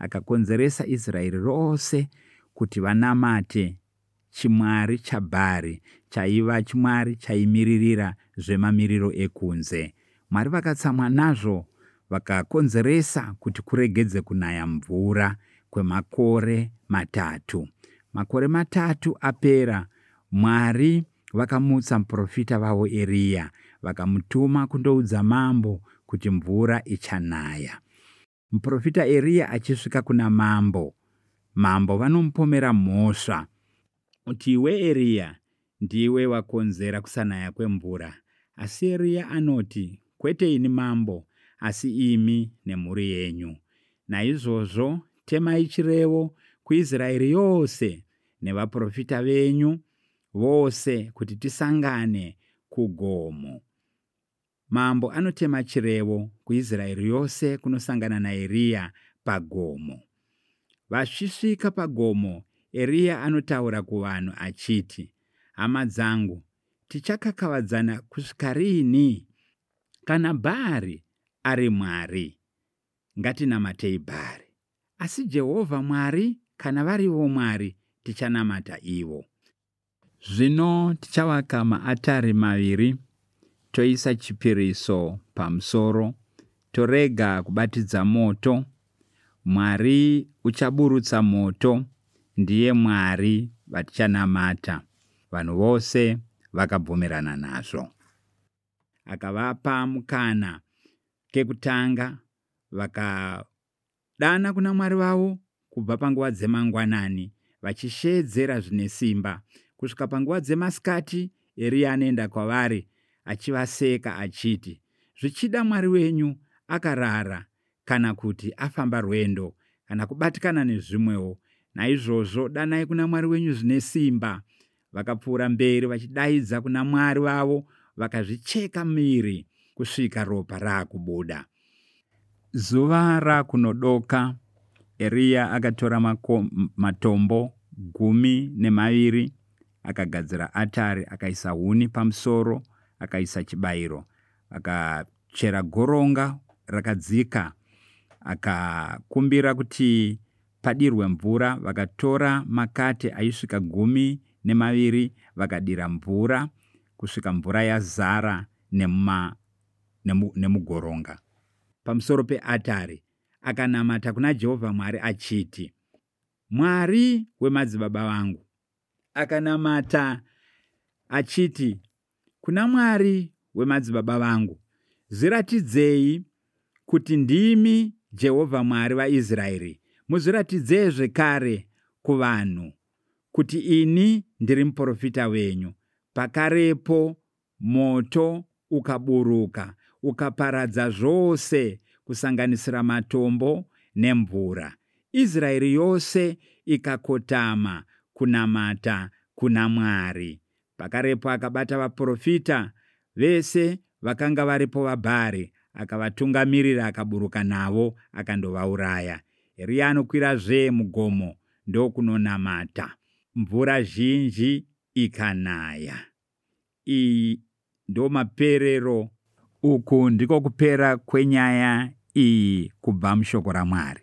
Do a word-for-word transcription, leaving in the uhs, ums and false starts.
Akakonzeresa Israeri rose kuti vanamate chimwari chaBhari, chaiva chimwari chaimiririra zvemamiriro ekunze. Mwari vakatsamwa nazvo, vakakonzeresa kuti kuregedze kunaya mvura kwemakore matatu. Makore matatu apera, Mwari vakamutsa muprofita vavo Eriya, vakamutuma kundoudza mambo kuti mvura ichanaya. Muprofita Eriya achisvika kuna mambo, mambo vanomupomera mhosva kuti iwe Eriya ndiwe wakonzera kusanaya kwemvura. Asi Eriya anoti, kwete ini mambo, asi imi nemhuri yenyu. Naizvozvo temai chirevo kuIsraeri yose nevaprofita venyu vose kuti tisangane kugomo. Mambo anotema chirevo kuIsraeri yose kunosangana naEriya pagomo. Vachisvika pagomo, Eriya anotaura kuvanhu achiti, hama dzangu, tichakakavadzana kusvika riini? Kana Bhaari ari Mwari, ngatinamatei Bhaari. Asi Jehovha Mwari, kana varivo Mwari, tichanamata ivo. Zvino tichavaka maatari maviri, toisa chipiriso pamusoro, torega kubatidza moto. Mwari uchaburutsa moto, ndiye Mwari vatichanamata. Vanhu vose vakabvumirana nazvo. Akavapa mukana kekutanga, vakadana kuna Mwari vavo kubva panguva dzemangwanani vachishedzera zvine simba kusvika panguva dzemasikati. Eriya anoenda kwavari achivaseka achiti, zvichida Mwari wenyu akarara kana kuti afamba rwendo kana kubatikana nezvimwewo. Naizvozvo danai kuna Mwari wenyu zvine simba. Vakapfuura mberi vachidaidza kuna Mwari vavo, vakazvicheka miri kusvika ropa raakubuda. Zuva rakunodoka, Eriya akatora mako, matombo gumi nemaviri, akagadzira atari, akaisa huni pamusoro, akaisa chibayiro, akachera goronga rakadzika, akakumbira kuti padirwe mvura. Vakatora makate aisvika gumi nemaviri, vakadira mvura kusvika mvura yazara nemuma, nemu, nemugoronga. Pamusoro peatari akanamata kuna Jehovha Mwari achiti, Mwari wemadzibaba vangu. Akanamata achiti kuna Mwari wemadzibaba vangu, zviratidzei kuti ndimi Jehovha Mwari vaIsraeri, muzviratidzei zvekare kuvanhu kuti ini ndiri muprofita wenyu. Pakarepo moto ukaburuka ukaparadza zvose kusanganisira matombo nemvura. Israeri yose ikakotama kunamata kuna Mwari. Pakarepo akabata vaprofita vese vakanga varipo vaBhaari, akavatungamirira, akaburuka navo akandovauraya. Eriya anokwirazve mugomo ndokunonamata. Mvura zhinji ikanaya. Iyi ndo maperero. Uku ndiko kupera kwenyaya iyi kubva mushoko raMwari.